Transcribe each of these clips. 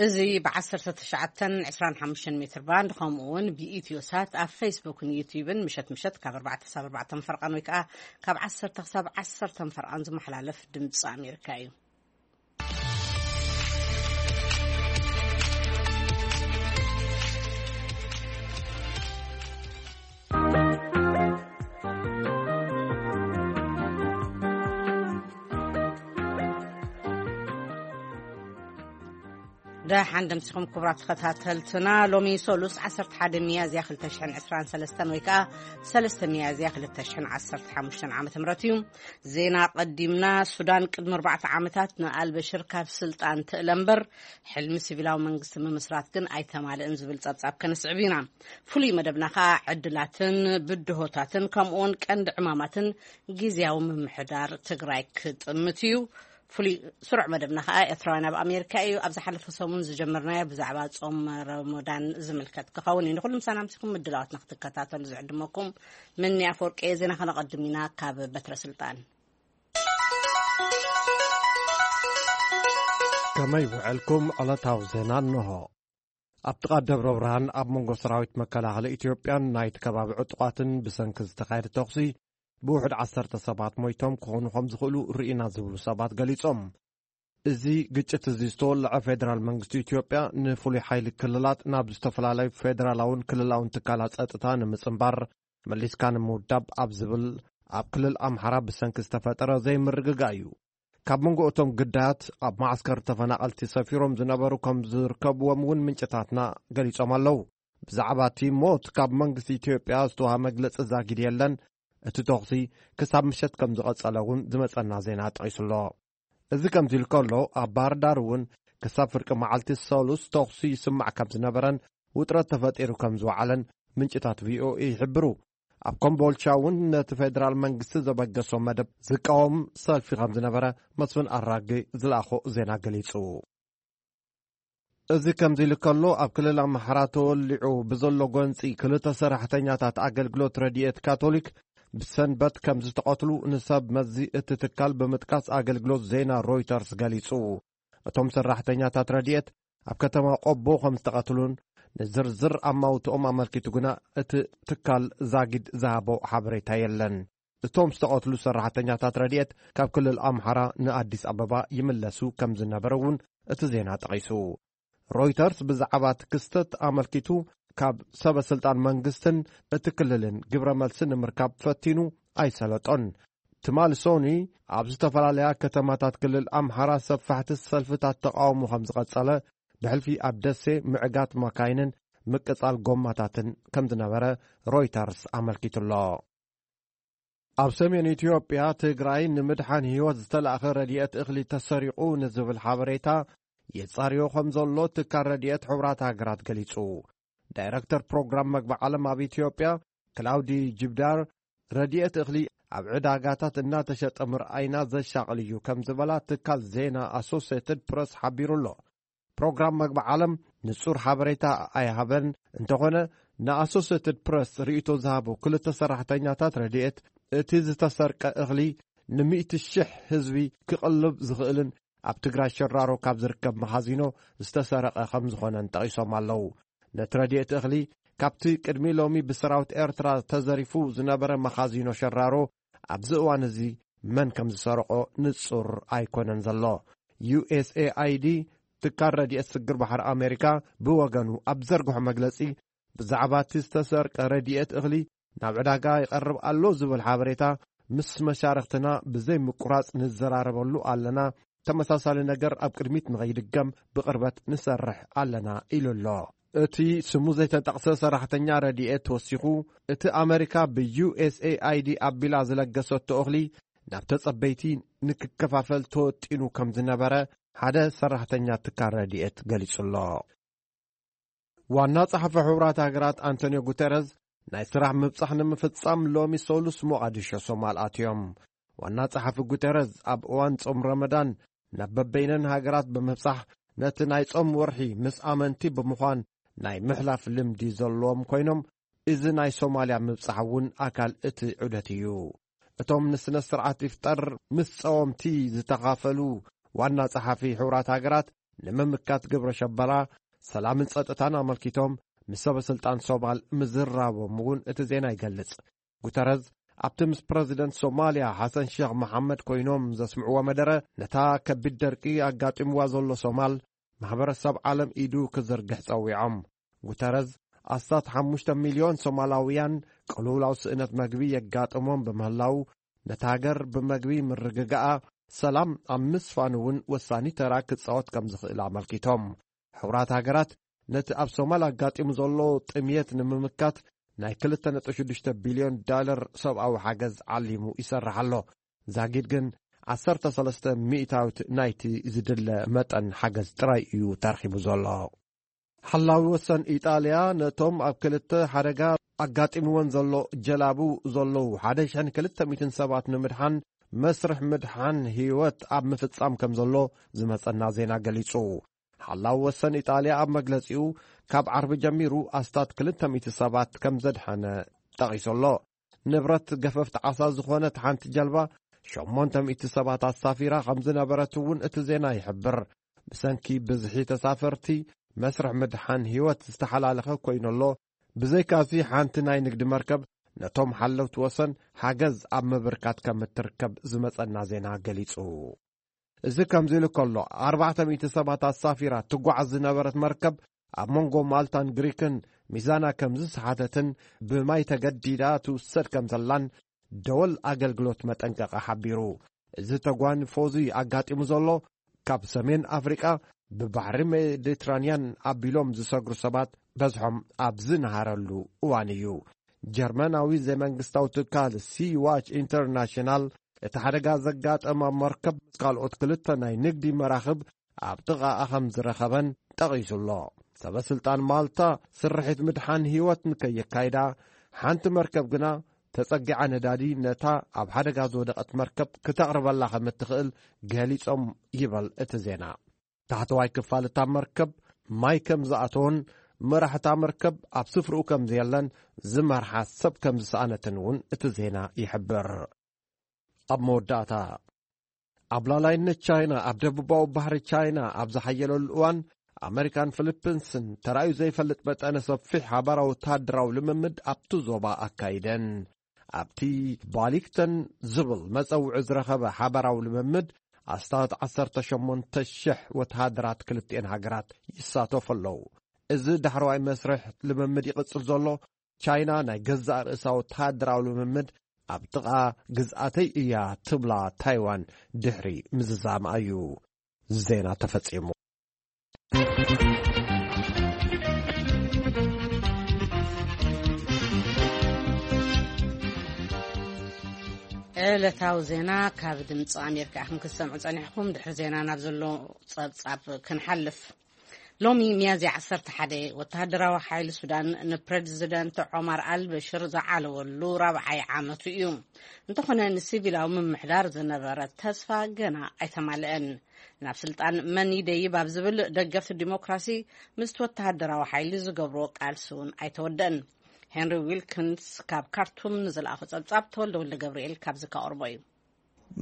እዚ ብ19 25 ሜትር ባንድ፣ ከምኡ እውን ብኢትዮ ሳት ኣብ ፌስቡክን ዩቲዩብን ምሸት ምሸት ካብ ኣርባዕተ ክሳብ ኣርባዕተ ፈርቓን ወይ ከዓ ካብ ዓሰርተ ክሳብ ዓሰርተ ፈርቓን ዝመሓላለፍ ድምፂ ኣሜሪካ እዩ። ደሓን ደምሲኹም ክቡራት ተኸታተልትና። ሎሚ ሶሉስ ዓሰርተ ሓደ ሚያዝያ ክልተ ሽሕን ዕስራን ሰለስተን ወይ ከዓ ሰለስተ ሚያዝያ ክልተ ሽሕን ዓሰርተ ሓሙሽተን ዓመተ ምህረት እዩ። ዜና ቀዲምና። ሱዳን ቅድሚ ኣርባዕተ ዓመታት ንኣልበሽር ካብ ስልጣን ትእለ እምበር፣ ሕልሚ ሲቪላዊ መንግስቲ ምምስራት ግን ኣይተማልእን ዝብል ጸብጻብ ከነስዕብ ኢና። ፍሉይ መደብና ከኣ ዕድላትን ብድሆታትን ከምኡውን ቀንዲ ዕማማትን ግዝያዊ ምምሕዳር ትግራይ ክጥምት እዩ። ፍሉይ ስሩዕ መደብና ከኣ ኤርትራውያን ኣብ ኣሜሪካ እዩ። ኣብ ዝሓለፈ ሰሙን ዝጀመርናዮ ብዛዕባ ጾም ረመዳን ዝምልከት ክኸውን እዩ። ንኹሉ ምሳና ምሲኹም ምድላዋትና ክትከታተሉ ዝዕድመኩም ምኒ ኣፈወርቂ እየ። ዜና ከነቐድም ኢና ካብ በትረ ስልጣን። ከመይ ውዕልኩም? ዕለታዊ ዜና እንሆ። ኣብ ጥቓ ደብረ ብርሃን ኣብ መንጎ ሰራዊት መከላኸሊ ኢትዮጵያን ናይቲ ከባቢ ዕጡቓትን ብሰንኪ ዝተኻየደ ተኹሲ ብውሕድ ዓሰርተ ሰባት ሞይቶም ክኾኑ ከም ዝኽእሉ ርኢና ዝብሉ ሰባት ገሊጾም። እዚ ግጭት እዚ ዝተወልዐ ፌደራል መንግስቲ ኢትዮጵያ ንፍሉይ ሓይሊ ክልላት ናብ ዝተፈላለዩ ፌደራላውን ክልላውን ትካላት ጸጥታ ንምጽንባር መሊስካ ንምውዳብ ኣብ ዝብል ኣብ ክልል ኣምሓራ ብሰንኪ ዝተፈጠረ ዘይምርግጋእ እዩ። ካብ መንጎ እቶም ግዳያት ኣብ ማዕስከር ተፈናቐልቲ ሰፊሮም ዝነበሩ ከም ዝርከብዎም እውን ምንጭታትና ገሊጾም ኣለዉ። ብዛዕባ እቲ ሞት ካብ መንግስቲ ኢትዮጵያ ዝተዋሃበ መግለጺ ዛጊድ የለን። እቲ ተኹሲ ክሳብ ምሸት ከም ዝቐጸለ እውን ዝመጸና ዜና ጠቒሱ ኣሎ። እዚ ከምዚ ኢሉ ከሎ፣ ኣብ ባህር ዳር እውን ክሳብ ፍርቂ መዓልቲ ሰሉስ ተኹሲ ይስማዕ ከም ዝነበረን ውጥረት ተፈጢሩ ከም ዝወዓለን ምንጭታት ቪኦኤ ይሕብሩ። ኣብ ኮምቦልቻ እውን ነቲ ፌደራል መንግስቲ ዘበገሶ መደብ ዝቃወም ሰልፊ ከም ዝነበረ መስፍን ኣራጌ ዝለኣኾ ዜና ገሊጹ። እዚ ከምዚ ኢሉ ከሎ፣ ኣብ ክልል ኣምሓራ ተወሊዑ ብዘሎ ጎንጺ ክልተ ሰራሕተኛታት ኣገልግሎት ረድኤት ካቶሊክ ብሰንበት ከም ዝተቐትሉ ንሰብ መዚ እቲ ትካል ብምጥቃስ ኣገልግሎት ዜና ሮይተርስ ገሊጹ። እቶም ሰራሕተኛታት ረድኤት ኣብ ከተማ ቆቦ ከም ዝተቐትሉን ንዝርዝር ኣማውትኦም ኣመልኪቱ ግና እቲ ትካል ዛጊድ ዝሃቦ ሓበሬታ የለን። እቶም ዝተቐትሉ ሰራሕተኛታት ረድኤት ካብ ክልል ኣምሓራ ንኣዲስ ኣበባ ይምለሱ ከም ዝነበረ እውን እቲ ዜና ጠቒሱ። ሮይተርስ ብዛዕባ እቲ ክስተት ኣመልኪቱ ካብ ሰበ ስልጣን መንግስትን እቲ ክልልን ግብረ መልሲ ንምርካብ ፈቲኑ ኣይሰለጦን። ትማሊ ሶኒ ኣብ ዝተፈላለያ ከተማታት ክልል ኣምሓራ ሰፋሕቲ ሰልፍታት ተቃውሞ ከም ዝቐጸለ፣ ብሕልፊ ኣብ ደሴ ምዕጋት ማካይንን ምቅጻል ጎማታትን ከም ዝነበረ ሮይተርስ ኣመልኪቱ ኣሎ። ኣብ ሰሜን ኢትዮጵያ ትግራይ ንምድሓን ህይወት ዝተላእኸ ረድኤት እኽሊ ተሰሪቑ ንዝብል ሓበሬታ የጻርዮ ከም ዘሎ ትካል ረድኤት ሕቡራት ሃገራት ገሊጹ። ዳይረክተር ፕሮግራም መግቢ ዓለም ኣብ ኢትዮጵያ ክላውዲ ጅብዳር፣ ረድኤት እኽሊ ኣብ ዕዳጋታት እናተሸጠ ምርኣይና ዘሻቕል እዩ ከም ዝበላ ትካል ዜና ኣሶሴትድ ፕረስ ሓቢሩ ኣሎ። ፕሮግራም መግቢ ዓለም ንጹር ሓበሬታ ኣይሃበን። እንተኾነ፣ ንኣሶሴትድ ፕረስ ርእይቶ ዝሃቡ ክልተ ሰራሕተኛታት ረድኤት፣ እቲ ዝተሰርቀ እኽሊ ንሚእቲ ሽሕ ህዝቢ ክቕልብ ዝኽእልን ኣብ ትግራይ ሸራሮ ካብ ዝርከብ መኻዚኖ ዝተሰረቐ ከም ዝኾነን ጠቒሶም ኣለዉ። ነቲ ረድኤት እኽሊ ካብቲ ቅድሚ ሎሚ ብሰራዊት ኤርትራ ተዘሪፉ ዝነበረ መኻዚኖ ሸራሮ ኣብዚ እዋን እዚ መን ከም ዝሰረቖ ንጹር ኣይኮነን ዘሎ። ዩ ኤስ ኤ ኣይ ዲ፣ ትካል ረድኤት ስግር ባሕሪ ኣሜሪካ፣ ብወገኑ ኣብ ዘርግሖ መግለጺ፣ ብዛዕባ እቲ ዝተሰርቀ ረድኤት እኽሊ ናብ ዕዳጋ ይቐርብ ኣሎ ዝብል ሓበሬታ ምስ መሻርኽትና ብዘይ ምቁራጽ ንዘራረበሉ ኣለና። ተመሳሳሊ ነገር ኣብ ቅድሚት ንኸይድገም ብቕርበት ንሰርሕ ኣለና ኢሉ ኣሎ። እቲ ስሙ ዘይተጠቕሰ ሰራሕተኛ ረድኤት ወሲኹ፣ እቲ ኣመሪካ ብ ዩ ኤስ ኤ ኣይ ዲ ኣቢላ ዝለገሰቶ እኽሊ ናብ ተጸበይቲ ንክከፋፈል ተወጢኑ ከም ዝነበረ ሓደ ሰራሕተኛ ትካል ረድኤት ገሊጹ ኣሎ። ዋና ጸሓፊ ሕቡራት ሃገራት ኣንቶኒዮ ጉተረዝ ናይ ስራሕ ምብጻሕ ንምፍጻም ሎሚ ሰሉስ ሞቓዲሾ ሶማል ኣትዮም። ዋና ጸሓፊ ጉተረዝ ኣብ እዋን ጾም ረመዳን ናብ በበይነን ሃገራት ብምብጻሕ ነቲ ናይ ጾም ወርሒ ምስ ኣመንቲ ብምዃን ናይ ምሕላፍ ልምዲ ዘለዎም ኮይኖም፣ እዚ ናይ ሶማልያ ምብጻሕ እውን ኣካል እቲ ዑደት እዩ። እቶም ንስነ ስርዓት ኢፍጠር ምስ ጸወምቲ ዝተኻፈሉ ዋና ጸሓፊ ሕቡራት ሃገራት ንምምካት ግብረ ሸበራ፣ ሰላምን ጸጥታን ኣመልኪቶም ምስ ሰበ ስልጣን ሶማል ምዝራቦም እውን እቲ ዜና ይገልጽ። ጉተረዝ ኣብቲ ምስ ፕረዚደንት ሶማልያ ሓሰን ሸኽ መሓመድ ኮይኖም ዘስምዕዎ መደረ፣ ነታ ከቢድ ደርቂ ኣጋጢምዋ ዘሎ ሶማል ማሕበረሰብ ዓለም ኢዱ ክዝርግሕ ጸዊዖም። ጉተረዝ ኣስታት ሓሙሽተ ሚልዮን ሶማላውያን ቅልውላው ስእነት መግቢ የጋጥሞም ብምህላው፣ ነታ ሃገር ብመግቢ ምርግጋኣ ሰላም ኣብ ምስፋን እውን ወሳኒ ተራ ክጻወት ከም ዝኽእል ኣመልኪቶም። ሕቡራት ሃገራት ነቲ ኣብ ሶማል ኣጋጢሙ ዘሎ ጥምየት ንምምካት ናይ ክልተ ነጥቢ ሽዱሽተ ቢልዮን ዳለር ሰብኣዊ ሓገዝ ዓሊሙ ይሰርሕ ኣሎ። ዛጊድ ግን ዓሰርተ ሰለስተ ሚእታዊት ናይቲ ዝድለ መጠን ሓገዝ ጥራይ እዩ ተረኺቡ ዘሎ። ሓላዊ ወሰን ኢጣልያ ነቶም ኣብ ክልተ ሓደጋ ኣጋጢምወን ዘሎ ጀላቡ ዘለዉ ሓደ ሽሕን ክልተ ሚእትን ሰባት ንምድሓን መስርሕ ምድሓን ህይወት ኣብ ምፍጻም ከም ዘሎ ዝመጸና ዜና ገሊጹ። ሓላዊ ወሰን ኢጣልያ ኣብ መግለጺኡ፣ ካብ ዓርቢ ጀሚሩ ኣስታት ክልተ ሚእቲ ሰባት ከም ዘድሓነ ጠቒሱ ኣሎ። ንብረት ገፈፍቲ ዓሳ ዝኾነት ሓንቲ ጀልባ ሸሞንተ ሚእቲ ሰባት ኣሳፊራ ከም ዝነበረት እውን እቲ ዜና ይሕብር። ብሰንኪ ብዝሒ ተሳፈርቲ መስርሕ ምድሓን ህይወት ዝተሓላለኸ ኮይኑ ኣሎ። ብዘይካዚ ሓንቲ ናይ ንግዲ መርከብ ነቶም ሓለውቲ ወሰን ሓገዝ ኣብ ምብርካት ከም እትርከብ ዝመጸና ዜና ገሊጹ። እዚ ከምዚ ኢሉ ከሎ፣ ኣርባዕተ ሚእቲ ሰባት ኣሳፊራ ትጓዓዝ ዝነበረት መርከብ ኣብ መንጎ ማልታን ግሪክን ሚዛና ከም ዝሰሓተትን ብማይ ተገዲዳ ትውሰድ ከም ዘላን ደወል ኣገልግሎት መጠንቀቒ ሓቢሩ። እዚ ተጓንፎ እዚ ኣጋጢሙ ዘሎ፣ ካብ ሰሜን ኣፍሪቃ ብባሕሪ ሜዲትራንያን ኣቢሎም ዝሰግሩ ሰባት በዝሖም ኣብ ዝነሃረሉ እዋን እዩ። ጀርመናዊ ዘይመንግስታዊ ትካል ሲ ዋች ኢንተርናሽናል፣ እቲ ሓደጋ ዘጋጠማ መርከብ ምስ ካልኦት ክልተ ናይ ንግዲ መራኽብ ኣብ ጥቓኣ ከም ዝረኸበን ጠቒሱ ኣሎ። ሰበ ስልጣን ማልታ ስርሒት ምድሓን ህይወት ንከየካይዳ፣ ሓንቲ መርከብ ግና ተጸጊዓ ነዳዲ ነታ ኣብ ሓደጋ ዝወደቐት መርከብ ክተቕርበላ ከም እትኽእል ገሊጾም ይበል እቲ ዜና። ታሕተዋይ ክፋል እታ መርከብ ማይ ከም ዝኣተወን መራሕታ መርከብ ኣብ ስፍርኡ ከም ዘየለን ዝመርሓ ሰብ ከም ዝሰኣነትን እውን እቲ ዜና ይሕብር። ኣብ መወዳእታ፣ ኣብ ላዕላይነት ቻይና ኣብ ደቡባዊ ባሕሪ ቻይና ኣብ ዝሓየለሉ እዋን፣ ኣመሪካን ፊሊፒንስን ተራእዩ ዘይፈልጥ መጠነ ሰፊሕ ሓባራዊ ወተሃደራዊ ልምምድ ኣብቲ ዞባ ኣካይደን። ኣብቲ ባሊክተን ዝብል መጸውዒ ዝረኸበ ሓባራዊ ልምምድ ኣስታት ዓሰርተ ሸሞንተ ሽሕ ወተሃደራት ክልቲኤን ሃገራት ይሳተፉ ኣለዉ። እዚ ዳሕረዋይ መስርሕ ልምምድ ይቕጽል ዘሎ፣ ቻይና ናይ ገዛእ ርእሳ ወተሃደራዊ ልምምድ ኣብ ጥቓ ግዝኣተይ እያ ትብላ ታይዋን ድሕሪ ምዝዛማ እዩ። ዜና ተፈጺሙ። ዕለታዊ ዜና ካብ ድምፂ ኣሜሪካ ኢኹም ክትሰምዑ ጸኒሕኩም። ድሕሪ ዜና ናብ ዘሎ ጸብጻብ ክንሓልፍ። ሎሚ ሚያዝያ ዓሰርተ ሓደ፣ ወተሃደራዊ ሓይሊ ሱዳን ንፕረዚደንት ዖማር ኣልበሽር ዝዓለወሉ ራብዓይ ዓመቱ እዩ። እንተኾነ፣ ንሲቪላዊ ምምሕዳር ዝነበረ ተስፋ ገና ኣይተማልአን። ናብ ስልጣን መን ይደይብ ኣብ ዝብል ደገፍቲ ዲሞክራሲ ምስቲ ወተሃደራዊ ሓይሊ ዝገብርዎ ቃልሲ እውን ኣይተወደአን። ሄንሪ ዊልኪንስ ካብ ካርቱም ንዝለኣኾ ጸብጻብ ተወልደ ወልደ ገብርኤል ካብዚ ከቕርቦ እዩ።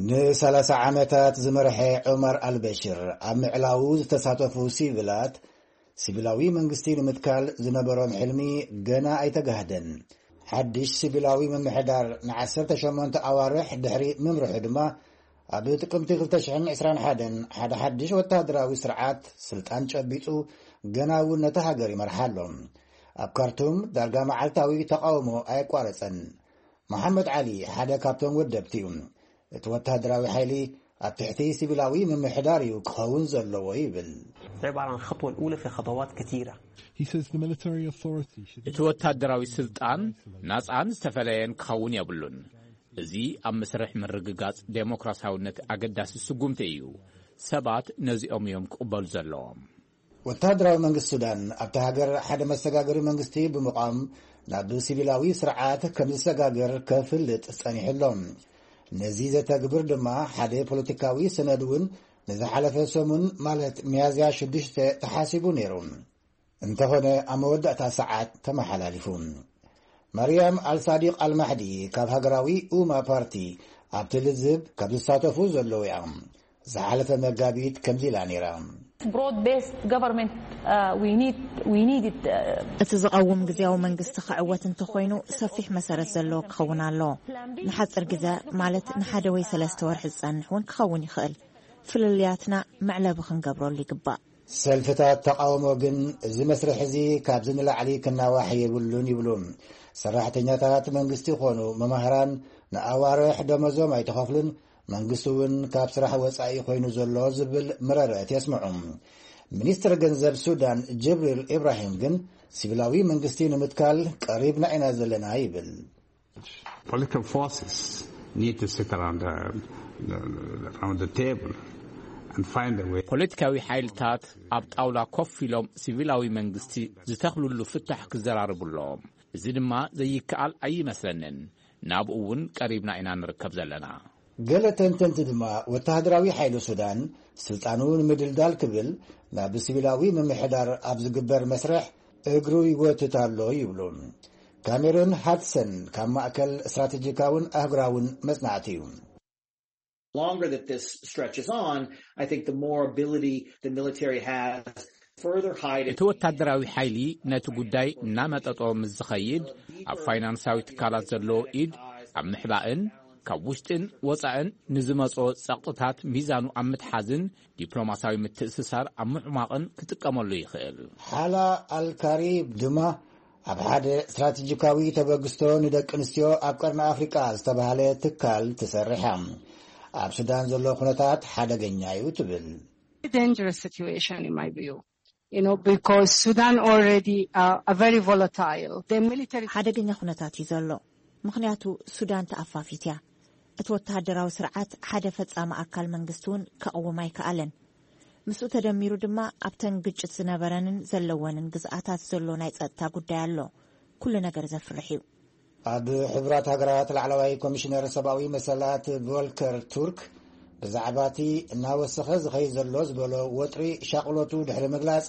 ንሰላሳ ዓመታት ዝመርሐ ዑመር ኣልበሽር ኣብ ምዕላዉ ዝተሳተፉ ሲቪላት፣ ሲቪላዊ መንግስቲ ንምትካል ዝነበሮም ሕልሚ ገና ኣይተጋህደን። ሓድሽ ሲቪላዊ ምምሕዳር ንዓሰርተ ሸሞንተ ኣዋርሕ ድሕሪ ምምርሑ ድማ፣ ኣብ ጥቅምቲ ክልተ ሽሕን ዕስራን ሓደን ሓደ ሓድሽ ወተሃደራዊ ስርዓት ስልጣን ጨቢጡ፣ ገና እውን ነታ ሃገር ይመርሓ ኣሎ። ኣብ ካርቱም ዳርጋ መዓልታዊ ተቃውሞ ኣየቋረጸን። መሓመድ ዓሊ ሓደ ካብቶም ወደብቲ እዩ። እቲ ወተሃደራዊ ሓይሊ ኣብ ትሕቲ ሲቪላዊ ምምሕዳር እዩ ክኸውን ዘለዎ ይብል። عبارة عن خطوة الأولى في خطوات كثيرة. He says the military authority should እቲ ወታደራዊ ስልጣን ናጻን ዝተፈለየን ክኸውን የብሉን። እዚ ኣብ መስርሕ ምርግጋጽ ዴሞክራሲያውነት ኣገዳሲ ስጉምቲ እዩ። ሰባት ነዚኦም እዮም ክቕበሉ ዘለዎም። ወታደራዊ መንግስቲ ሱዳን ኣብታ ሃገር ሓደ መሰጋገሪ መንግስቲ ብምቋም ናብ ሲቪላዊ ስርዓት ከም ዝሰጋገር ከፍልጥ ጸኒሑ ኣሎ። ነዚ ዘተግብር ድማ ሓደ ፖለቲካዊ ሰነድ እውን ንዝሓለፈ ሰሙን ማለት ሚያዝያ ሽዱሽተ ተሓሲቡ ነይሩ። እንተኾነ ኣብ መወዳእታ ሰዓት ተመሓላሊፉ። መርያም ኣልሳዲቕ ኣልማሕዲ ካብ ሃገራዊ ኡማ ፓርቲ ኣብቲ ልዝብ ካብ ዝሳተፉ ዘለዉ እያ። ዝሓለፈ መጋቢት ከምዚ ኢላ ነይራ። Broad-based government, uh, we need, we need it. Uh, እቲ ዝቐውም ግዜያዊ መንግስቲ ክዕወት እንተኾይኑ፣ ሰፊሕ መሰረት ዘለዎ ክኸውን ኣለዎ። ንሓጺር ግዜ፣ ማለት ንሓደ ወይ ሰለስተ ወርሒ ዝጸንሕ እውን ክኸውን ይኽእል። ፍልልያትና መዕለቢ ክንገብረሉ ይግባእ። ሰልፍታት ተቓውሞ ግን፣ እዚ መስርሕ እዚ ካብዚ ንላዕሊ ክናዋሕ የብሉን ይብሉ። ሰራሕተኛታት መንግስቲ ይኾኑ መማህራን ንኣዋርሕ ደመዞም ኣይተኸፍሉን፣ መንግስቲ እውን ካብ ስራሕ ወጻኢ ኮይኑ ዘሎ ዝብል መረረት የስምዑ። ሚኒስትር ገንዘብ ሱዳን ጅብሪል ኢብራሂም ግን፣ ሲቪላዊ መንግስቲ ንምትካል ቀሪብና ኢና ዘለና ይብል። Political forces need to sit around the, the, around the table and find a way. ፖለቲካዊ ሓይልታት ኣብ ጣውላ ኮፍ ኢሎም ሲቪላዊ መንግስቲ ዝተኽልሉ ፍታሕ ክዘራርቡ ኣለዎም። እዚ ድማ ዘይከኣል ኣይመስለንን። ናብኡ እውን ቀሪብና ኢና ንርከብ ዘለና። ገለ ተንተንቲ ድማ፣ ወተሃደራዊ ሓይሊ ሱዳን ስልጣኑ ንምድልዳል ክብል ናብ ሲቪላዊ ምምሕዳር ኣብ ዝግበር መስርሕ እግሩ ይጎትት ኣሎ ይብሉ። ካሜሮን ሃድሰን ካብ ማእከል ስትራቴጂካውን ኣህጉራውን መጽናዕቲ እዩ። Longer that this stretches on, I think the more ability the military has to further hide. እቲ ወታደራዊ ሓይሊ ነቲ ጉዳይ እናመጠጦ ምስ ዝኸይድ፣ ኣብ ፋይናንሳዊ ትካላት ዘለዎ ኢድ ኣብ ምሕባእን ካብ ውሽጥን ወጻእን ንዝመጾ ጸቕጥታት ሚዛኑ ኣብ ምትሓዝን ዲፕሎማሲያዊ ምትእስሳር ኣብ ምዕማቕን ክጥቀመሉ ይኽእል። ሓላ ኣልካሪብ ድማ ኣብ ሓደ ስትራቴጂካዊ ተበግስቶ ንደቂ ኣንስትዮ ኣብ ቀርኒ ኣፍሪቃ ዝተባህለ ትካል ትሰርሕ እያ። ኣብ ሱዳን ዘሎ ኩነታት ሓደገኛ እዩ ትብል። Dangerous situation in my view. You know, because Sudan already uh, a very volatile. The military. ሓደገኛ ኩነታት እዩ ዘሎ፣ ምኽንያቱ ሱዳን ተኣፋፊት እያ። እቲ ወተሃደራዊ ስርዓት ሓደ ፈጻሚ ኣካል መንግስቲ እውን ከቕውም ኣይከኣለን። ምስኡ ተደሚሩ ድማ ኣብተን ግጭት ዝነበረንን ዘለወንን ግዝኣታት ዘሎ ናይ ጸጥታ ጉዳይ ኣሎ። ኩሉ ነገር ዘፍርሕ እዩ። ኣብ ሕቡራት ሃገራት ላዕለዋይ ኮሚሽነር ሰብኣዊ መሰላት ቮልከር ቱርክ ብዛዕባ እቲ እናወሰኸ ዝኸይድ ዘሎ ዝበሎ ወጥሪ ሻቕሎቱ ድሕሪ ምግላጽ፣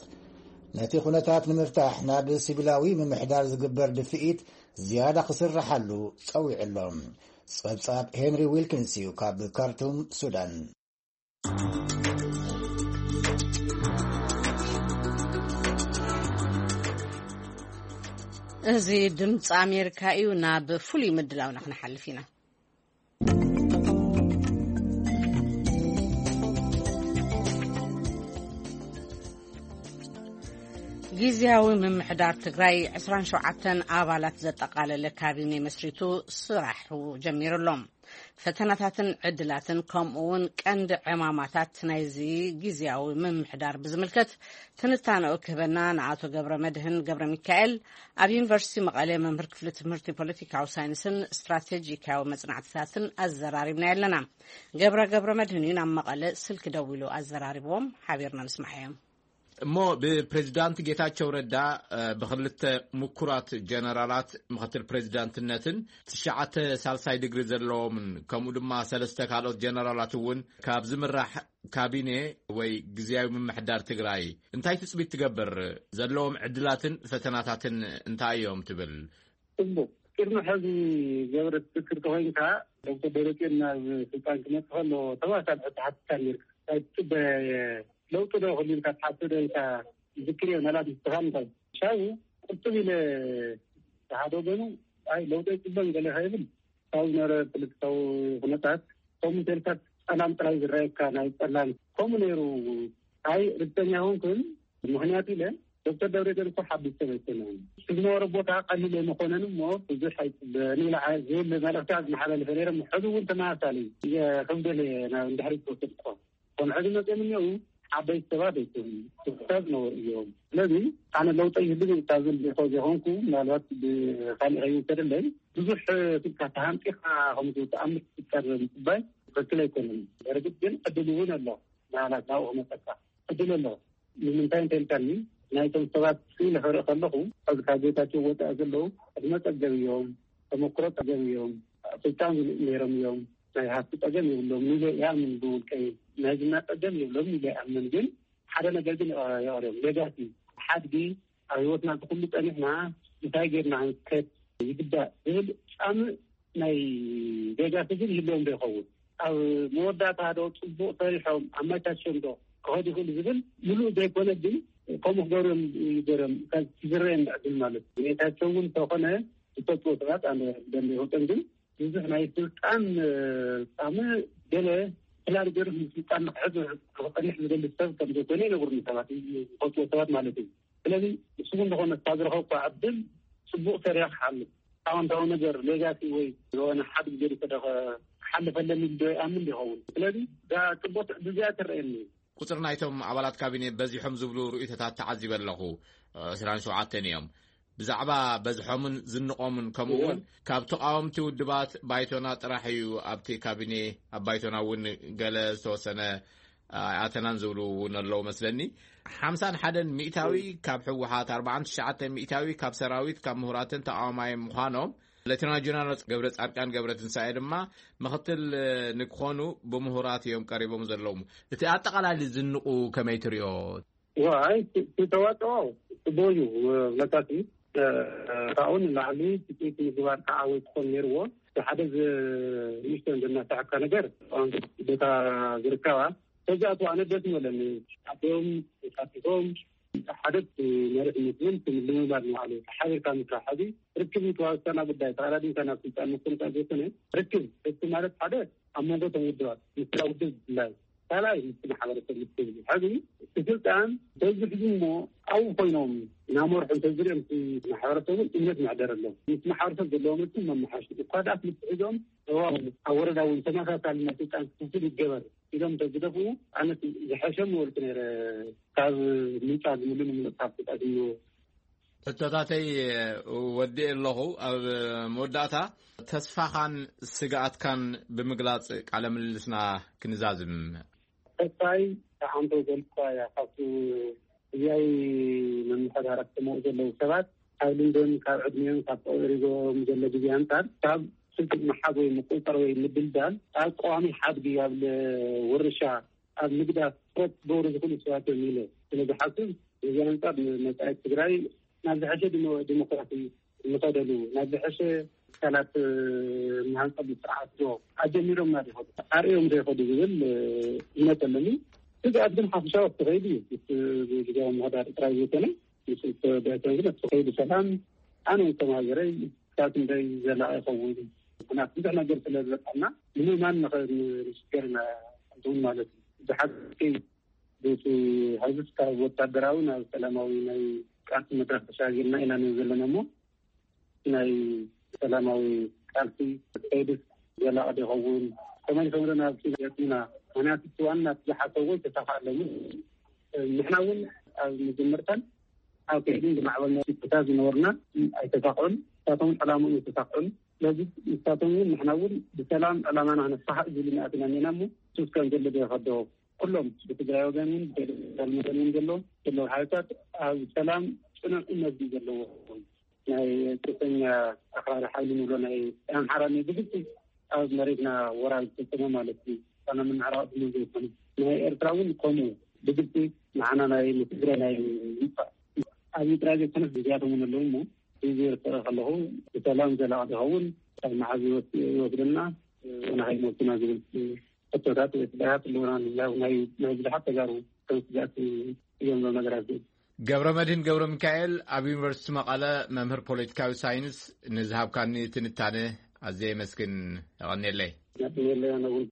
ነቲ ኩነታት ንምፍታሕ ናብ ሲቪላዊ ምምሕዳር ዝግበር ድፍኢት ዝያዳ ክስርሓሉ ጸዊዑ ኣሎ። ጸብጻብ ሄንሪ ዊልኪንስ እዩ ካብ ካርቱም ሱዳን። እዚ ድምፂ ኣሜሪካ እዩ። ናብ ፍሉይ ምድላውና ክንሓልፍ ኢና። ግዝያዊ ምምሕዳር ትግራይ ዕስራን ሸውዓተን ኣባላት ዘጠቓለለ ካቢኔ መስሪቱ ስራሑ ጀሚሩ ኣሎ። ፈተናታትን ዕድላትን ከምኡ እውን ቀንዲ ዕማማታት ናይዚ ግዝያዊ ምምሕዳር ብዝምልከት ትንታነኡ ክህበና ንኣቶ ገብረ መድህን ገብረ ሚካኤል ኣብ ዩኒቨርሲቲ መቐለ መምህር ክፍሊ ትምህርቲ ፖለቲካዊ ሳይንስን ስትራቴጂካዊ መጽናዕትታትን ኣዘራሪብና ኣለና። ገብረ ገብረ መድህን እዩ ናብ መቐለ ስልኪ ደዊሉ ኣዘራሪብዎም። ሓቢርና ንስማዓዮም። እሞ ብፕሬዚዳንት ጌታቸው ረዳ ብክልተ ምኩራት ጀነራላት ምክትል ፕሬዚዳንትነትን ትሽዓተ ሳልሳይ ድግሪ ዘለዎምን ከምኡ ድማ ሰለስተ ካልኦት ጀነራላት እውን ካብ ዝምራሕ ካቢኔ ወይ ግዝያዊ ምምሕዳር ትግራይ እንታይ ትፅቢት ትገብር? ዘለዎም ዕድላትን ፈተናታትን እንታይ እዮም ትብል? ፅቡቅ። ቅድሚ ሕዚ ገብረ ትዝክር ተኮይንካ ዶክተር ደብረፅዮን ናብ ስልጣን ክመፅእ ከሎ ተመሳሳሊ ሕቶ ሓቲትካ ነርካ። እንታይ ትፅበ ለውጢ ዶ ክህሉ ኢልካ ትሓስብ ዶ ኢልካ ዝክር እየ። ምናልባት ንስኻ እንታይ ሻው ቁጥብ ኢለ ሓደ ወገኑ ኣይ ለውጢ ኣይፅበን ገለ ከይብል ካብ ዝነበረ ፖለቲካዊ ኩነታት ከምኡ ተልካ ፀላም ጥራይ ዝረኣየካ ናይ ፀላም ከምኡ ነይሩ። ኣይ ርግፀኛ ይኮንኩን ምክንያቱ ኢለ ዶክተር ደብረፅዮን እኮ ሓቢስ ሰብ ኣይኮነን። ዝነበረ ቦታ ቀሊል ኣይመኮነን እሞ ብዙሕ ኣይፅበን ኢለ ዝብል መልእክቲ ዝመሓላለፈ ነይረ። ሕዚ እውን ተመሳሳሊ እየ ክብደል እየ ናብ እንድሕሪ ዝወሰድኮ ከም ሕዚ መፅኦም እኒአው ዓበይቲ ሰባት ኣይኮኑን። ሰብ ነበር እዮም። ስለዚ ኣነ ለውጠ ይህሉ ካብ ዝብል ሪኮ ዘይኮንኩ ምናልባት ብካሊእ ከይውሰደለይ ብዙሕ ስልካ ተሃምጢኻ ከምዚ ተኣምር ትፍጠር ምፅባይ ትክክል ኣይኮነን። በርግጥ ግን ዕድል እውን ኣሎ። ናላት ናብኡ ክመፀካ ዕድል ኣሎ። ንምንታይ እንተልካኒ ናይቶም ሰባት ስኢለ ክርኢ ከለኹ ሕዚ ካብ ጌታቸው ወፃኢ ዘለዉ ዕድመ ፀገብ እዮም። ተመክሮ ፀገብ እዮም። ስልጣን ዝልእ ነይሮም እዮም። ናይ ሃፍቲ ፀገም የብሎም ኢለ ይኣምን። ብውልቀይ ናይ ዝና ፀገም የብሎም ኢለ ይኣምን። ግን ሓደ ነገር ግን የቕርዮም ሌጋሲ ሓድጊ ኣብ ህይወትና እዚ ኩሉ ፀኒሕና እንታይ ጌርና ክንከድ ይግባእ ዝብል ፃምእ ናይ ሌጋሲ ግን ይህልዎም ዶ ይኸውን? ኣብ መወዳእታ ዶ ፅቡቅ ሰሪሖም ኣመቻችዮም ዶ ክኸዱ ይኽእሉ ዝብል ምሉእ ዘይኮነ፣ ግን ከምኡ ክገብሩ እዮም ይገርም ካብ ዝረአየኒ ዕድል ማለት እዩ። ጌታቸው እውን እንተኾነ ዝፈልጥዎ ሰባት ኣነ ደንብ ይፈልጦም፣ ግን ብዙሕ ናይ ስልጣን ጣዕሚ ገለ ፕላን ገይሩ ስልጣን ንክሕዝ ክጸንሕ ዝደሊ ሰብ ከም ዘይኮነ ይነግሩኒ ሰባት፣ ዝፈልጥዎ ሰባት ማለት እዩ። ስለዚ ንሱ እውን ዝኾነ ካብ ዝረኸብኩ ዕድል ጽቡቕ ሰሪያ ክሓልፍ፣ ኣወንታዊ ነገር ሌጋሲ ወይ ዝኾነ ሓድግ ገዲፈ ዶ ክሓልፍ ኣለኒ ዶ ይኣምን ይኸውን። ስለዚ እዛ ጽቡቕ ትዕዝዝቲ እያ ትረአየኒ። ቁጽሪ ናይቶም ኣባላት ካቢኔ በዚሖም ዝብሉ ርእይቶታት ተዓዚበ ኣለኹ። ዕስራን ሸውዓተን እዮም። ብዛዕባ በዝሖምን ዝንቖምን፣ ከምኡ እውን ካብ ተቓወምቲ ውድባት ባይቶና ጥራሕ እዩ ኣብቲ ካቢኔ፣ ኣብ ባይቶና እውን ገለ ዝተወሰነ ኣይኣተናን ዝብሉ እውን ኣለዉ መስለኒ። ሓምሳን ሓደን ሚእታዊ ካብ ህወሓት፣ ኣርባዓን ትሽዓተን ሚእታዊ ካብ ሰራዊት፣ ካብ ምሁራትን ተቓዋማይ ምዃኖም፣ ሌተና ጀነራል ገብረ ጻድቃን ገብረ ትንሳኤ ድማ ምኽትል ንክኾኑ ብምሁራት እዮም ቀሪቦም ዘለዉ። እቲ ኣጠቓላሊ ዝንቑ ከመይ ትሪኦ? ዋይ፣ እቲ ተዋፅኦ ጽቡቕ እዩ። ብለካሲ ካብኡ ንላዕሊ ትፅኢት ምግባር ከዓ ወይ ክኾን ነይርዎ። እቲ ሓደ ዝ-፣ ንእሽተን ዘናሳሕካ ነገር፣ ኣሁን ቦታ ዝርከባ ተዚኣቱ ኣነ ደስ ይበለኒ። ኣቦም ተሳቲፎም ሓደ መሪሕነት እውን ንምልምማድ ንባዕሉ ሓቢርካ ምስራሕ። ሕዚ ርክብ እዩ ተዋሳና ጉዳይ። ተቐዳዲምካ ናብ ስልጣን ምስትምጣር ዘይኮነ ርክብ፣ እቲ ማለት ሓደ ኣብ መንጎ እቶም ውድባት፣ ምስላ ውድብ ብፍላይ ካልኣይ ምስቲ ማሕበረሰብ ምስቲ ህዝቢ። ሕዚ እቲ ስልጣን በዚ ሕዚ እሞ ኣብኡ ኮይኖም እናመርሑ እንተዝሪኦም እቲ ማሕበረሰብ እውን እምነት መሕደረሎም። ምስ ማሕበረሰብ ዘለዎም ርክብ መመሓሽ እኳ ደኣ ክልተ ሒዞም እዋን ኣብ ወረዳ እውን ተመሳሳሊ ናይ ስልጣን ክፍፍል ይገበር ኢሎም እንተዝደፍኡ ኣነ ዝሐሸ ምበልኩ ነይረ። ካብ ምንጫ ዝምሉ ንምንጻፍ ተጠቂሙ። ሕቶታተይ ወዲኤ ኣለኹ። ኣብ መወዳእታ ተስፋኻን ስግኣትካን ብምግላጽ ቃለ ምልልስና ክንዛዝም። ተስፋይ ተሓንቶ ዘልኳ እያ። ካብቲ ግዜያዊ ምምሕዳራት ክመኡ ዘለዉ ሰባት ካብ ልምዶም፣ ካብ ዕድሜኦም፣ ካብ ተቐሪቦም ዘሎ ግዜ ኣንጻር ካብ ስልጡን ምሓዝ ወይ ምቁጽጻር ወይ ምድልዳል ኣብ ቀዋሚ ሓድጊ ኣብ ለ-፣ ውርሻ ኣብ ምግዳፍ ትኩረት ክገብሩ ዝኽእሉ ሰባት እዮም ኢለ ስለ ዝሓስብ፣ እዚ ኣንጻር ንመጻኢት ትግራይ ናብ ዝሐሸ ዲሞ-፣ ዲሞክራሲ እንኸደሉ፣ ናብ ዝሐሸ ትካላት፣ እ፣ ንሃንጸሉ ስርዓት ዶ ኣጀሚሮም ና ይኸዱ፣ ኣርእዮም ዶ ይኸዱ ዝብል፣ እ፣ እምነት ኣለኒ። ስግኣት ግን ሓፈሻዊ ኣብቲ ከይዲ እዩ። ምስ ግዜያዊ ምምሕዳር ጥራይ ዘይኮነ፣ ምስ ባይቶን ግን ኣብቲ ከይዲ ሰላም ኣነ እውን ከም ሃገረይ ክሳብ ክንደይ ዘላቒ ይኸውን? ምኽንያቱ ብዙሕ ነገር ስለ ዝበፅሐና ንምእማን ንኸ-፣ ንሽገር ኢና፣ ከምኡ ማለት እዩ። ብሓቂ በቲ ሕዚ ካብ ወታደራዊ ናብ ሰላማዊ ናይ ቃልሲ መድረኽ ተሻጊርና ኢና ንብል ዘለና እሞ፣ ናይ ሰላማዊ ቃልሲ ከይድስ ዘላቒ ዶ ይኸውን? ከመይ ንከምዶ ናብ ገፅና? ምኽንያቱ እቲ ዋና እቲ ዝሓሰብዎ ይተሳኽኣሎም። ንሕና እውን ኣብ መጀመርታን ኣብ ከይድን ዝማዕበልና ቦታ ዝነበርና ኣይተሳኽዑን፣ ንሳቶም እውን ዕላምኦም ኣይተሳኽዑን። ስለዚ ንሳቶም እውን ንሕና እውን ብሰላም ዕላማና ክነሳኽዕ ዝብሉ ንኣትና እኒና እሞ፣ ሱስ ከም ዘሎ ዶ ይኸዶ? ኩሎም ብትግራይ ወገን እውን ብፌደራል ወገን እውን ዘሎ ዘለዉ ሓይልታት ኣብ ሰላም ፅኑዕ እምነት እዩ ዘለዎ። ናይ ፅንፈኛ ኣኽራሪ ሓይሊ ንብሎ ናይ ኣምሓራ ናይ ብግልፂ ኣብ መሬትና ወራር ዝፈፀመ ማለት እዩ። ኣነ ምምዕራቕ ድሞ ዘይኮነ ናይ ኤርትራ እውን ከምኡ ብግልፂ ንዓና ናይ ንትግራይ ናይ ምጥፋእ ኣብ ኤርትራ ዘይኮነ ግዜያቶም እውን ኣለዉ እሞ እዚ ይርትረ ከለኹ ብሰላም ዘላቕ ዝኸውን ካብ መዓዝ ይወስ-፣ ይወስደና ንኸይሞትና ዝብል ሕቶታት ወይ ስጋት ኣለውና። ናይ፣ ናይ ብዙሓት ተጋሩ ከም ስጋት እዮም እዞም ነገራት እዚኦም። ገብረ መድህን ገብረ ሚካኤል ኣብ ዩኒቨርሲቲ መቐለ መምህር ፖለቲካዊ ሳይንስ ንዝሃብካኒ ትንታነ ኣዝየ የመስግን። የቐንየለይ። የቐንየለይ ኣነ እውን።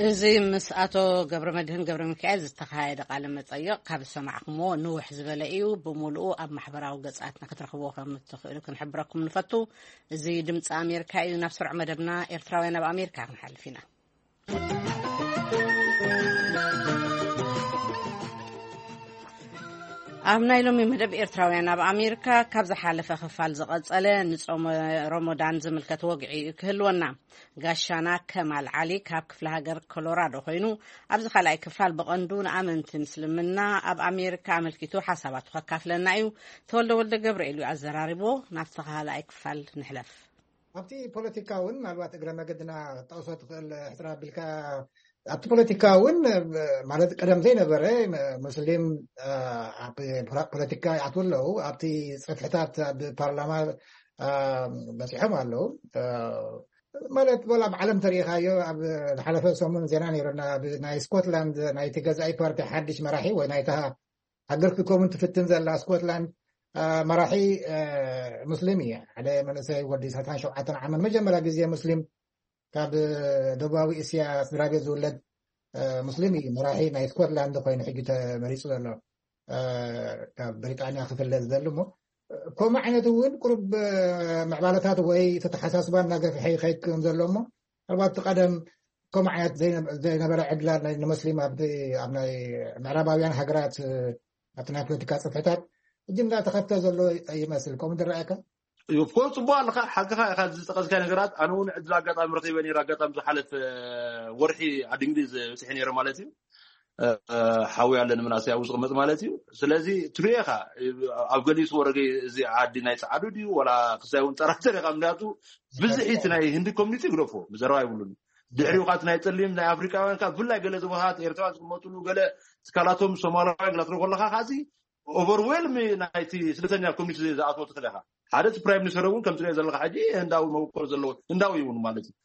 እዚ ምስ ኣቶ ገብረ መድህን ገብረ ሚካኤል ዝተኻየደ ቃለ መጠይቕ ካብ ዝሰማዕኩምዎ ንውሕ ዝበለ እዩ። ብምሉኡ ኣብ ማሕበራዊ ገጻትና ክትረኽብዎ ከም እትኽእሉ ክንሕብረኩም ንፈቱ። እዚ ድምፂ ኣሜሪካ እዩ። ናብ ስሩዕ መደብና ኤርትራውያን ኣብ ኣሜሪካ ክንሓልፍ ኢና። ኣብ ናይ ሎሚ መደብ ኤርትራውያን ኣብ ኣሜሪካ ካብ ዝሓለፈ ክፋል ዝቐጸለ ንጾመ ሮሞዳን ዝምልከት ወግዒ እዩ ክህልወና። ጋሻና ከማል ዓሊ ካብ ክፍለ ሃገር ኮሎራዶ ኮይኑ ኣብዚ ካልኣይ ክፋል ብቐንዱ ንኣመንቲ ምስልምና ኣብ ኣሜሪካ ኣመልኪቱ ሓሳባቱ ከካፍለና እዩ። ተወልደ ወልደ ገብርኤል እዩ ኣዘራሪቦ። ናብቲ ካልኣይ ክፋል ንሕለፍ። ኣብቲ ፖለቲካ እውን ምናልባት እግረ መገድና ክትጠቕሶ ትኽእል ሕጽር ኣቢልካ፣ ኣብቲ ፖለቲካ እውን ማለት ቀደም ዘይነበረ ሙስሊም ኣብ ፖለቲካ ይኣትዉ ኣለዉ። ኣብቲ ጽፍሕታት ኣብ ፓርላማ በጺሖም ኣለዉ። ማለት ወላ ኣብ ዓለም ተሪኢኻዮ ኣብ ዝሓለፈ ሰሙን ዜና ነይሩና ኣብ ናይ ስኮትላንድ ናይቲ ገዛኢ ፓርቲ ሓድሽ መራሒ ወይ ናይታ ሃገር ክትከውን ትፍትን ዘላ ስኮትላንድ መራሒ ሙስሊም እዩ። ሓደ መንእሰይ ወዲ ዕስራን ሸውዓተን ዓመት መጀመርያ ግዜ ሙስሊም ካብ ደቡባዊ እስያ ስድራ ቤት ዝውለድ ሙስሊም እዩ። መራሒ ናይ ስኮትላንድ ኮይኑ ሕጂ ተመሪፁ ዘሎ ካብ ብሪጣንያ ክፍለ ዝደሊ እሞ ከምኡ ዓይነት እውን ቁሩብ ምዕባለታት ወይ ተተሓሳስባ እናገፍሐ ይኸይድ ከም ዘሎ እሞ ምናልባት እቲ ቀደም ከምኡ ዓይነት ዘይነበረ ዕድላ ንመስሊም ኣብ ናይ ምዕራባውያን ሃገራት ኣብቲ ናይ ፖለቲካ ፅፍሕታት ሕጂ እንዳተኸፍተ ዘሎ ይመስል። ከምኡ ዝረኣየካ? ኦፍኮርስ ፅቡቅ ኣለካ ሓቅኻ ኢኻ ዝጠቀስካ ነገራት። ኣነ እውን ዕድል ኣጋጣሚ ረኺበ ነይረ ኣጋጣሚ ዝሓለፈ ወርሒ ዓዲ እንግሊዝ በፂሐ ነይረ ማለት እዩ። ሓዊ ኣለኒ ምናሰይ ኣብኡ ዝቕመጥ ማለት እዩ። ስለዚ ትሪኦ ኢኻ ኣብ ገሊኡ ወረገ እዚ ዓዲ ናይ ፀዓዱ ድዩ ዋላ ክሳይ እውን ጠራተር ኢኻ ምክንያቱ ብዝሒ እቲ ናይ ህንዲ ኮሚኒቲ ግደፎ ብዘረባ ይብሉን ድሕሪኡ ካ ናይ ፀሊም ናይ ኣፍሪካውያን ካ ብፍላይ ገለ ዝቦታት ኤርትራ ዝመጡሉ ገለ ትካላቶም ሶማላውያን ግላ ትረኮ ኣለካ ካዚ ኦቨርዌልም ናይቲ ስደተኛ ኮሚኒቲ ዝኣትዎ ትኽእል ኢኻ ሓደ እቲ ፕራይም ሚኒስተር እውን ከም ትሪኦ ዘለካ ሕጂ ህንዳዊ መበቆል ዘለዎ ህንዳዊ እውን ማለት እዩ።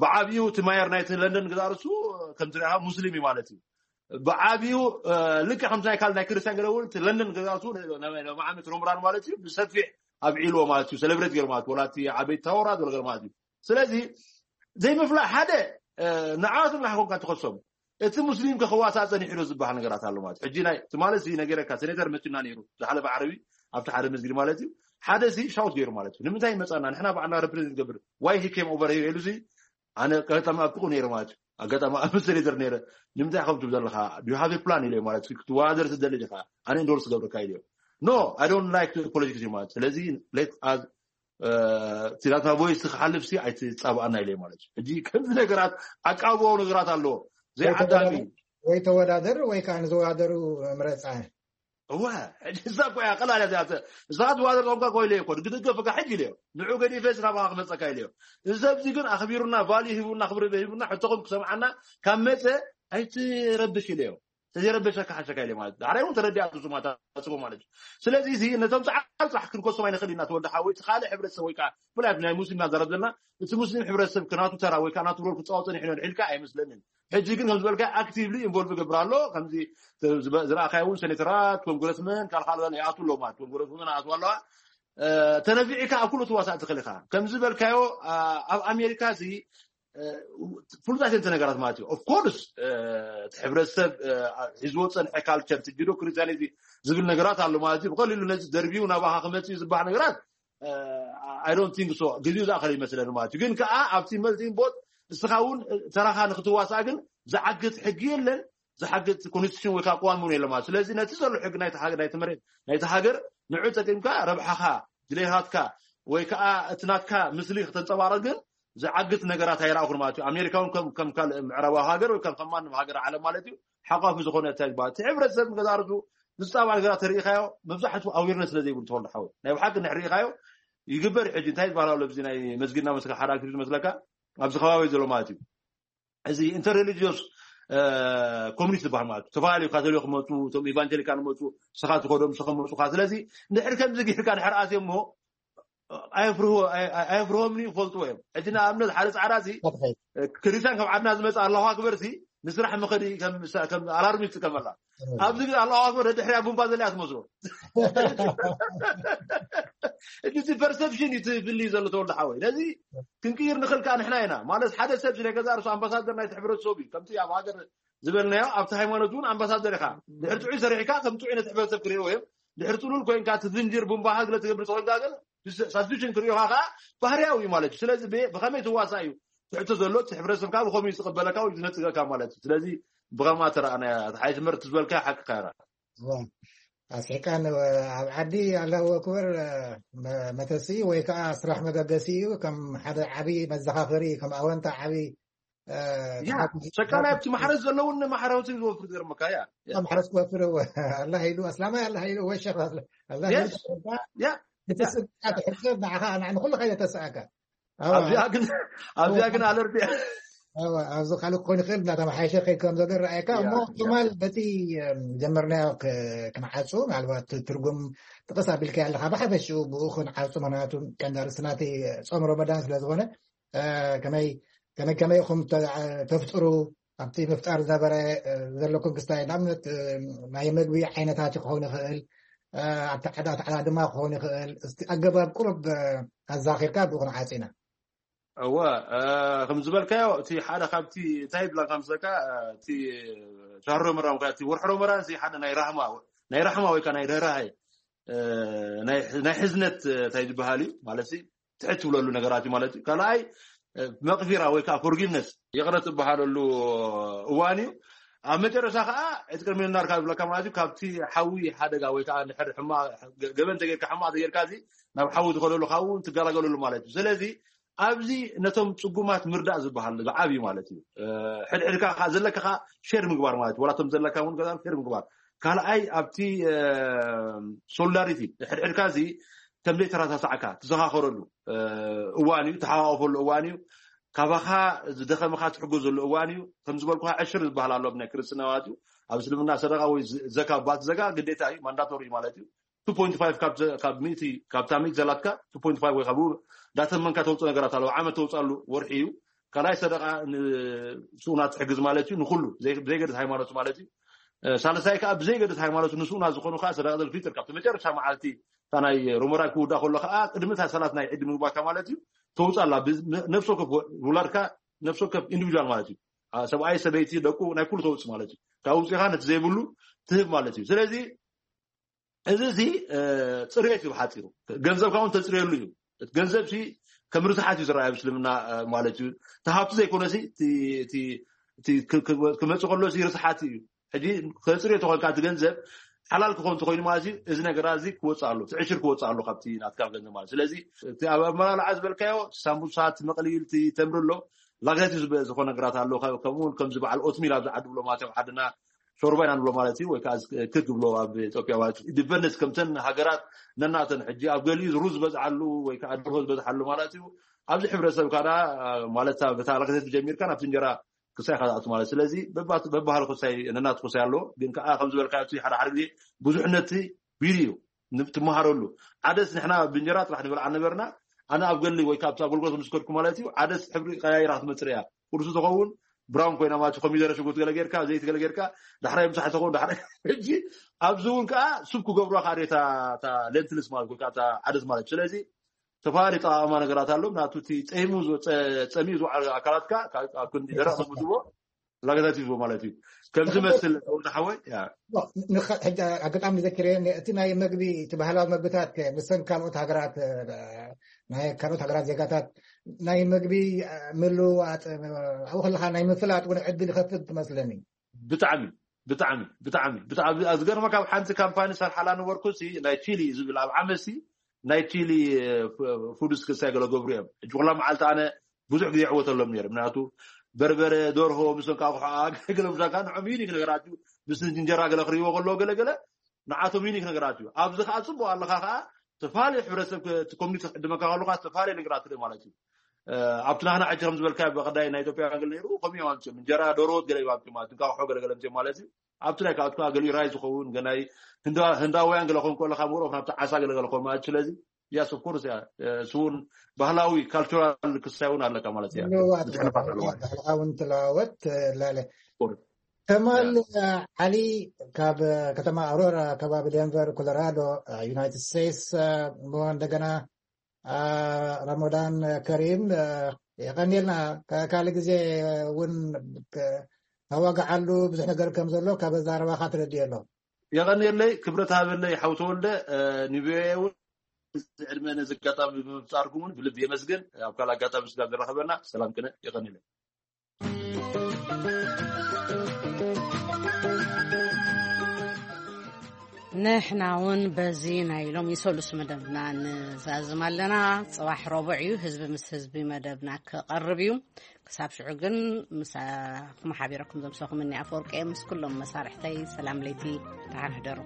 ብዓብዩ እቲ ማየር ናይቲ ለንደን ግዛርሱ ከም ትሪኢኻ ሙስሊም እዩ ማለት እዩ። ብዓብዩ ልክዕ ከምቲ ናይ ካል ናይ ክርስቲያን ገለ እውን እቲ ለንደን ግዛርሱ መዓመት ሮምራን ማለት እዩ ብሰፊሕ ኣብዒልዎ ማለት እዩ ሰለብሬት ገይሩ ማለት ወላ እቲ ዓበይቲ ታወራ ዘሎ ገለ ማለት እዩ። ስለዚ ዘይምፍላጥ ሓደ ንዓቱ ምናሕኮንካ ትኸሶም እቲ ሙስሊም ከኸዋሳ ፀኒሑ ዶ ዝበሃል ነገራት ኣሎ ማለት ሕጂ ናይ ትማሊ እዚ ነገረካ ሴኔተር መቱና ነይሩ ዝሓለፈ ዓረቢ ኣብቲ ሓደ መስጊድ ማለት እዩ ሓደ ሲ ሻውት ገይሩ ማለት እዩ ንምንታይ መፃና ንሕና ባዕልና ረፕሬዘንት ገብር ዋይ ሂ ኬም ኦቨር ሂር ኢሉ ሲ ኣነ ኣጋጣሚ ኣብ ጥቁ ነይረ ማለት እዩ ኣጋጣሚ ኣብ ሴኔተር ነይረ ንምንታይ ከም ትብል ዘለካ ዩ ሃቭ ፕላን ኢለ ማለት ክትወዳደር ትደሊ ዲካ ኣነ ኢንዶርስ ገብረካ ኢለ no I don't like politics ማለት ስለዚ let us እቲ ናትና ቮይስ ክሓልፍ ሲ ኣይትፃባኣና ኢለ ማለት እዩ ሕጂ ከምዚ ነገራት ኣቃብባዊ ነገራት ኣለዎ ዘይዓዳሚ ወይ ተወዳደር ወይ ከዓ ንዝወዳደሩ ምረፃ እወ ሕጂ እዛ እኮ እያ ቀላል እያ እዚኣ እዛ ትወዳደር ኾንካ ኮይለ እኮ ግድገፍካ ሕጂ ኢለዮ ንዑ ገዲፈ ናባኻ ክመፀካ ኢለዮ እዚ ሰብዚ ግን ኣኽቢሩና ቫልዩ ሂቡና ክብሪ ሂቡና ሕቶኹም ክሰምዓና ካብ መፀ ኣይትረብሽ ኢለዮ ተዘይረበሸካ ሓሸካ ኢለ ማለት ዳሕራይ እውን ተረዲኣ ሱማታ ጽቦ ማለት እዩ ስለዚ እዚ ነቶም ፃዓል ፃሕ ክንኮሶም ኣይንኽእል ኢና ተወዲ ሓወይ እቲ ካልእ ሕብረተሰብ ወይ ከዓ ብላይ ናይ ሙስሊም ናዛረብ ዘለና እቲ ሙስሊም ሕብረተሰብ ከናቱ ተራ ወይ ከዓ ናቱ ሮል ክፃወት ፀኒሑ ዶ ኢልካ ኣይመስለንን ሕጂ ግን ከም ዝበልካ ኣክቲቭሊ ኢንቮልቭ ይገብር ኣሎ ከምዚ ዝረኣኻዮ እውን ሴኔተራት ኮንግረስመን ካልካል ይኣቱ ኣለዎ ማለት ኮንግረስመን ኣቱ ኣለዋ ተነፊዕካ ኣብ ኩሉ ትዋሳእ ትኽእል ኢኻ ከምዚ ዝበልካዮ ኣብ ኣሜሪካ እዚ ፍሉጣት እየን ነገራት ማለት እዩ ኦፍኮርስ እቲ ሕብረተሰብ ሒዝዎ ፀንሐ ካልቸር እቲ ጅዶ ክርስቲያኒቲ ዝብል ነገራት ኣሎ ማለት እዩ ብቀሊሉ ነዚ ደርቢዩ ናባኻ ክመፅእ ዝበሃል ነገራት I don't think so ግዜኡ ዝኣኸለ ይመስለኒ ማለት እዩ ግን ከዓ ኣብቲ መልቲን ቦት እስኻ እውን ተራኻ ንክትዋሳእ ግን ዝዓግት ሕጊ የለን ዝሓግዝ ኮንስቲቱሽን ወይ ከዓ ቅዋም እውን የለን ማለት ስለዚ ነቲ ዘሎ ሕጊ ናይቲ ናይቲ ሃገር ንዑ ጠቂምካ ረብሓኻ ድሌታትካ ወይ ከዓ እቲ ናትካ ምስሊ ክተንፀባረቅ ግን ዝዓግት ነገራት ኣይረኣኹን ማለት እዩ ኣሜሪካ እውን ከም ካልእ ምዕራባዊ ሃገር ወይ ከም ከማንም ሃገር ዓለም ማለት እዩ ሓቋፊ ዝኾነ እንታይ ዝበሃል እቲ ሕብረተሰብ ንገዛ ርእሱ ዝፃባዕ ነገራት ተሪኢኻዮ መብዛሕትኡ ኣዌርነስ ስለ ዘይብሉ ተወልዶ ሓወይ ናይ ብሓቂ እንድሕር ርኢኻዮ ይግበር ሕጂ እንታይ ዝበሃል ኣሎ ብዚ ናይ መስጊድና መስካ ሓደ ኣክቲቪቲ መስለካ ኣብዚ ከባቢ ዘሎ ማለት እዩ እዚ ኢንተርሬሊጂዮስ ኮሚኒቲ ዝበሃል ማለት እዩ ዝተፈላለዩ ካቶሊክ መፁ እቶም ኢቫንጀሊካን መፁ ስኻ ትኸዶም ስኸ መፁካ ስለዚ እንድሕር ከምዚ ጌርካ ድሕር ኣትዮ እሞ ኣየፍርሆምኒ ይፈልጥዎ እዮም ሕጂ ንኣብነት ሓደ ፃዕዳ ሲ ክርስቲያን ካብ ዓድና ዝመፅእ ኣለኹ ኣክበር ሲ ንስራሕ መኸዲ ከም ኣላርሚ ይጥቀመላ ኣብዚ ግን ኣለኹ ኣክበር ድሕሪያ ቡምባ ዘለያ ትመስሎ እቲ ፐርሰፕሽን እዩ ትፍልይ ዘሎ ተወልዶ ሓወይ ነዚ ክንቅይር ንኽእል ከዓ ንሕና ኢና ማለት ሓደ ሰብ ስለ ገዛ ርሱ ኣምባሳደር ናይቲ ሕብረተሰብ እዩ ከምቲ ኣብ ሃገር ዝበልናዮ ኣብቲ ሃይማኖት እውን ኣምባሳደር ኢኻ ድሕር ጥዑይ ሰሪሕካ ከም ጥዑይ ነቲ ሕብረተሰብ ክርእዎ እዮም ድሕር ጥሉል ኮይንካ እቲ ዝንጅር ቡምባኻ ግለ ትገብር ተኮንካ ግን ሳብስቲቱሽን ክርእዮኻ ከዓ ባህርያዊ እዩ ማለት እዩ ስለዚ ብኸመይ ትዋሳ እዩ ትሕቶ ዘሎ እቲ ሕብረተሰብካ ብኸመይ ዝቕበለካ ወይ ዝነፅገካ ማለት እዩ ስለዚ ብኸማ ተረኣናያ ሓይ ትምህርቲ ዝበልካ ሓቅካ ይራ ኣስሒቃን ኣብ ዓዲ ኣላሁ ኣክበር መተሲ ወይ ከዓ ስራሕ መበገሲ እዩ ከም ሓደ ዓብዪ መዘኻኸሪ ከም ኣወንታ ዓብዪ ሸቃላይ ኣብቲ ማሕረስ ዘለውን ማሕረውቲ ዝወፍር ዝገርመካ ያ ማሕረስ ክወፍር ኣላ ኢሉ ኣስላማይ ኣላ ኢሉ ወሸፍ ኣላ ያ እቲ ስብዓት ሕሰብ ንዓኻ ንዓን ኩሉ ከይደ ተስኣካ ኣብዚኣ ግን ኣብዚኣ ግን ኣለርት ኣብዚ ካልእ ክኾን ይኽእል፣ እናተመሓየሸ ከይድ ከም ዘሎ ይረኣየካ። እሞ ትማል በቲ ጀመርናዮ ክንዓፁ፣ ምናልባት ትርጉም ጥቕስ ኣቢልካ ኣለካ፣ ብሓፈሽኡ ብኡ ክንዓፁ፣ ምክንያቱ ቀንዲ ኣርእስቲ ናቲ ጾም ረመዳን ስለዝኾነ፣ ከመይ ከመይ ከመይ ኢኹም ተፍጥሩ ኣብቲ ምፍጣር ዝነበረ ዘለኩም ክስታይ፣ ንኣብነት ናይ መግቢ ዓይነታት ክኸውን ይኽእል፣ ኣብቲ ዓዳ ድማ ክኸውን ይኽእል። እቲ ኣገባብ ቁሩብ ኣዛኺርካ ብኡ ክንዓፂ ኢና። እወ፣ ከም ዝበልካዮ፣ እቲ ሓደ ካብቲ እንታይ ይብላ ከም ዝሰካ፣ እቲ ሻህሮ መራም እቲ ወርሒ ረመዳን እዚ ሓደ ናይ ራህማ፣ ናይ ራህማ ወይ ከዓ ናይ ርህራሄ፣ ናይ ሕዝነት እንታይ ዝበሃል እዩ ማለት፣ ትሕት ትብለሉ ነገራት እዩ ማለት እዩ። ካልኣይ፣ መቕፊራ ወይ ከዓ ፎርጊቭነስ፣ ይቕረ ትበሃለሉ እዋን እዩ። ኣብ መጨረሻ ከዓ እቲ ቅድሚ ናርካ ዝብለካ ማለት እዩ፣ ካብቲ ሓዊ ሓደጋ ወይ ከዓ ንሕር ሕማ ገበን ተጌርካ፣ ሕማቕ ተጌርካ እዚ ናብ ሓዊ ዝኸደሉ ካብኡ ትገላገለሉ ማለት እዩ። ስለዚ ኣብዚ ነቶም ጽጉማት ምርዳእ ዝበሃል ዝዓብ እዩ ማለት እዩ። ሕድሕድካ ዘለካ ሸር ምግባር ማለት እዩ። ዋላቶም ዘለካ እውን ገዛ ሸር ምግባር። ካልኣይ ኣብቲ ሶሊዳሪቲ፣ ሕድሕድካ እዚ ከም ዘይተረሳሳዕካ ትዘኻኸረሉ እዋን እዩ፣ ተሓዋወፈሉ እዋን እዩ። ካባኻ ዝደኸመኻ ትሕጎ ዘሎ እዋን እዩ። ከም ዝበልኩኻ ዕሽር ዝበሃል ኣሎ ናይ ክርስትና ማለት እዩ። ኣብ እስልምና ሰደቃ ወይ ዘካ፣ ባት ዘካ ግዴታ እዩ፣ ማንዳቶሪ ማለት እዩ። ካብ ሚእቲ፣ ካብታ ሚእቲ ዘላትካ ወይ ካብኡ እንዳተመንካ ተውፅእ ነገራት ኣለዎ። ዓመት ተውፅኣሉ ወርሒ እዩ። ካልኣይ ሰደቃ ንስኡናት ትሕግዝ ማለት እዩ፣ ንኩሉ ዘይገድስ ሃይማኖት ማለት እዩ። ሳልሳይ ከዓ ብዘይገድስ ሃይማኖት ንስኡናት ዝኾኑ ከዓ ሰደቃ ዘልፊጥር ካብቲ መጨረሻ መዓልቲ እታ ናይ ሮመዳን ክውዳ ከሎ ከዓ ቅድሚ እታ ሰላት ናይ ዒድ ምግባካ ማለት እዩ። ተውፅኣላ ነፍሲ ወከፍ ውላድካ፣ ነፍሲ ወከፍ ኢንዲቪጁዋል ማለት እዩ። ሰብኣይ ሰበይቲ ደቁ ናይ ኩሉ ተውፅእ ማለት እዩ። ካብ ውፅኢኻ ነቲ ዘይብሉ ትህብ ማለት እዩ። ስለዚ እዚ እዚ ፅርየት እዩ ብሓፂሩ። ገንዘብካ እውን ተፅርየሉ እዩ። እቲ ገንዘብ ሲ ከም ርትዓት እዩ ዝረኣይ ኣብ እስልምና ማለት እዩ። እቲ ሃብቲ ዘይኮነ ሲ ክመፅእ ከሎ ሲ ርትዓት እዩ። ሕጂ ከፅርዮ ተኾንካ እቲ ገንዘብ ሓላል ክኾን ተኾይኑ ማለት እዩ። እዚ ነገራት እዚ ክወፅእ ኣሎ፣ እቲ ዕሽር ክወፅእ ኣሎ ካብቲ ናትካ ገንዘብ ማለት። ስለዚ እቲ ኣብ ኣመላልዓ ዝበልካዮ ሳምቡሳት፣ መቕሊል፣ እቲ ተምሪ ኣሎ፣ ላግዛቲቭ ዝኾነ ነገራት ኣሎ። ከምኡ እውን ከምዚ በዓል ኦትሚል ኣብዚ ዓዲ ብሎ ማለት ኣብ ዓድና ሾርባ ኢና ንብሎ ማለት እዩ። ወይ ከዓ ክክ ብሎ ኣብ ኢትዮጵያ ማለት እዩ። ዲፐንደንስ ከምተን ሃገራት ነናተን ሕጂ ኣብ ገሊኡ ሩዝ ዝበዝሓሉ ወይ ከዓ ደርሆ ዝበዝሓሉ ማለት እዩ። ኣብዚ ሕብረተሰብ ካዳ ማለት በታ ላግዛቲቭ ጀሚርካ ናብቲ እንጀራ ክሳይ ካትኣቱ ማለት። ስለዚ በባህሊ ክሳይ ነናት ክሳይ ኣለዎ። ግን ከዓ ከም ዝበልካ እቲ ሓደ ሓደ ግዜ ብዙሕነት ቢሪ እዩ ትመሃረሉ። ዓደስ ንሕና ብእንጀራ ጥራሕ ንበልዓ ነበርና። ኣነ ኣብ ገሊ ወይ ካብቲ ኣገልግሎት ምስ ከድኩ ማለት እዩ፣ ዓደስ ሕብሪ ቀያይራ ክትመፅእ እያ። ቁርሲ ተኸውን ብራውን ኮይና ማለት ኮሚደረ ሽጉርቲ ገለ ጌርካ ዘይቲ ገለ ጌርካ ዳሕራይ ምሳሕ ተኸውን ዳሕራይ ሕጂ ኣብዚ እውን ከዓ ሱብ ክገብሩዋ ከዓ እታ ሌንትልስ ማለት ወይ ከዓ ዓደስ ማለት እዩ። ስለዚ ተፈላለዩ ጠቃማ ነገራት ኣሎ። ናቱ እቲ ፀይሙ ጸሚኡ ዝውዓል ኣካላትካ ኣብ ክንዲ ደረቅ ምግብዎ ላገታት ይዝቦ ማለት እዩ። ከም ዝመስል ወዲ ሓወይ። ሕጂ ኣጋጣሚ ዘኪረ እቲ ናይ መግቢ እቲ ባህላዊ መግብታት ምስን ካልኦት ሃገራት ናይ ካልኦት ሃገራት ዜጋታት ናይ መግቢ ምልውዋጥ ኣብኡ ከለካ ናይ ምፍላጥ እውን ዕድል ይኸፍት ትመስለኒ። ብጣዕሚ ብጣዕሚ ብጣዕሚ ብጣዕሚ ዝገርመካ፣ ኣብ ሓንቲ ካምፓኒ ሰርሓላ ነበርኩ፣ ናይ ቺሊ ዝብል ኣብ ዓመሲ ናይ ቺሊ ፉድስ ክሳይ ገለ ገብሩ እዮም። ሕጂ ኩላ መዓልቲ ኣነ ብዙሕ ግዜ ይዕወተሎም ነይረ። ምክንያቱ በርበረ፣ ደርሆ ምስ እንቃቑሖ ገለ ብዛካ ንዖም ዩኒክ ነገራት እዩ። ምስ እንጀራ ገለ ክርእይዎ ከለዎ ገለ ገለ ንዓቶም ዩኒክ ነገራት እዩ። ኣብዚ ከዓ ፅቡቅ ኣለካ ከዓ ተፋሊ ሕብረተሰብ ኮሚኒቲ ክዕድመካ ከለካ ተፋሊ ነገራት ትርኢ ማለት እዩ። ኣብቲ ናህና ሕጂ ከም ዝበልካ ብቀዳይ ናይ ኢትዮጵያ ገለ ነይሩ ከምኡ እዮም ኣምፅኦም እንጀራ ደርሆት ገለ እዮም ኣምፅኦም ማለት እንቃቑሖ ገለ ገለ ኣምፅኦም ማለት እዩ። ኣብቲ ናይ ካብቲ ከዓ ገሊኡ ራይ ዝኸውን ገናይ ህንዳውያን ገለ ኮን ከለካ ምሮፍ ናብቲ ዓሳ ገለ ገለ ኮን ማለት ስለዚ ያስ ኦፍ ኮርስ እያ። እሱ እውን ባህላዊ ካልቸራል ክሳይ እውን ኣለካ ማለት እያ። ባህልካ እውን ትለዋወጥ ላለ ከማል ዓሊ ካብ ከተማ ኣውሮራ ከባቢ ዴንቨር ኮሎራዶ ዩናይትድ ስቴትስ እሞ እንደገና ረመዳን ከሪም የቀኒልና። ካልእ ግዜ እውን ተዋግዓሉ ብዙሕ ነገር ከም ዘሎ ካብ ኣዛረባካ ተረዲኦ ኣሎ። የቐንየለይ፣ ክብረት ሃበለይ ሓው ተወልደ። ንቪኦኤ እውን እዚ ዕድመ ነዚ ኣጋጣሚ ብምፍጣርኩም እውን ብልቢ የመስግን። ኣብ ካልእ ኣጋጣሚ ስጋብ ዝራኸበና ሰላም ቅነ። የቐንየለይ። ንሕና እውን በዚ ናይ ሎሚ ሰሉስ መደብና ንዛዝም ኣለና። ፅባሕ ረቡዕ እዩ፣ ህዝቢ ምስ ህዝቢ መደብና ክቐርብ እዩ። ክሳብ ሽዑ ግን ምሳኹም ሓቢረኩም ዘምሰኹም እኒ ኣፈወርቂ ምስ ኩሎም መሳርሕተይ ሰላም ለይቲ ተሓንሕደሩ።